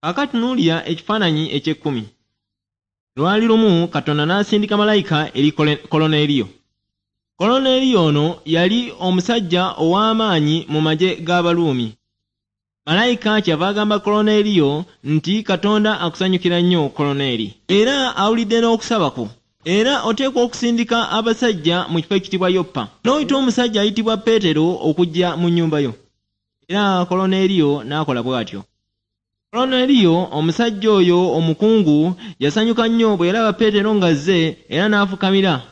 Kaakati tunuulira ekifaananyi eky'ekkumi. Lwali lumu Katonda n'asindika malayika eri Koloneeriyo. Koloneeriyo ono yali omusajja ow'amaanyi mu magye g'Abaruumi. Malayika kyava agamba Koloneeriyo nti Katonda akusanyukira nnyo Koloneeri. Era awulidde n'okusaba kwo. Era oteekwa okusindika abasajja mu kifo ekiyitibwa Yopa. N'oyita omusajja ayitibwa Peetero okujja mu nnyumba yo. Era Koloneeriyo n'akola bw'atyo. Koloneeriyo omusajja oyo omukungu yasanyuka nnyo bwe yalaba Peetero ng'azze era n'afukamira.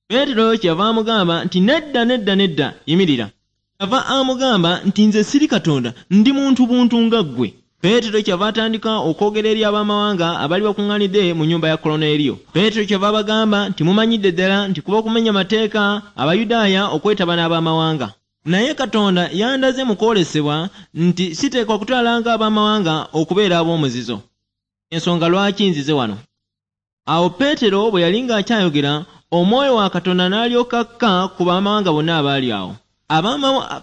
Peetero kyeyava amugamba nti nedda nedda nedda yimirira. Kyeyava amugamba nti nze siri Katonda ndi muntu buntu nga ggwe. Peetero kyeyava atandika okwogera eri ab'amawanga abaali bakuŋŋaanidde mu nnyumba ya Koloneeriyo. Peetero kyeyava abagamba nti mumanyidde ddala nti kuba kumenya mateeka Abayudaaya okwetaba n'ab'amawanga. Naye Katonda yandaze mu kwolesebwa nti siteekwa kutwala ng'ab'amawanga okubeera ab'omuzizo. Ensonga lwaki nzize wano. Awo Peetero bwe yali ng'akyayogera, Omwoyo wa Katonda n'alyoka akka ku b'amawanga bonna abaali awo.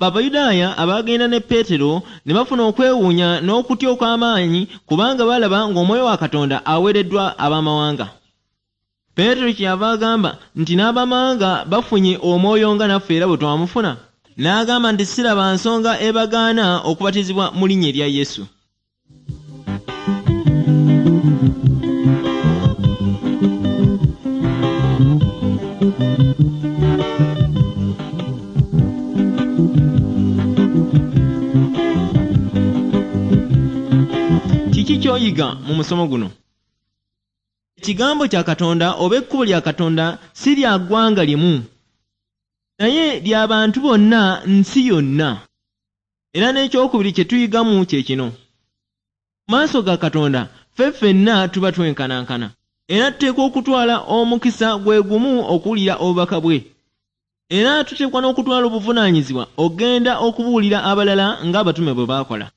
Abayudaaya abaagenda ne Peetero ne bafuna okwewuunya n'okutya okw'amaanyi kubanga baalaba ng'Omwoyo wa Katonda aweereddwa ab'amawanga. Peetero kyeyava agamba nti n'ab'amawanga bafunye Omwoyo nga naffe era bwe twamufuna. N'agamba nti siraba nsonga ebagaana okubatizibwa mu linnya erya Yesu. Kiki ky'oyiga mu musomo guno? Ekigambo kya Katonda oba ekkubo lya Katonda si lya ggwanga limu, naye lya bantu bonna nsi yonna. Era n'ekyokubiri kye tuyigamu kye kino. Mu maaso ga Katonda ffe ffenna tuba twenkanankana. Era tuteekwa okutwala omukisa gwe gumu okuwulira obubaka bwe. Era tuteekwa n'okutwala obuvunaanyizibwa okugenda okubuulira abalala ng'abatume bwe baakola.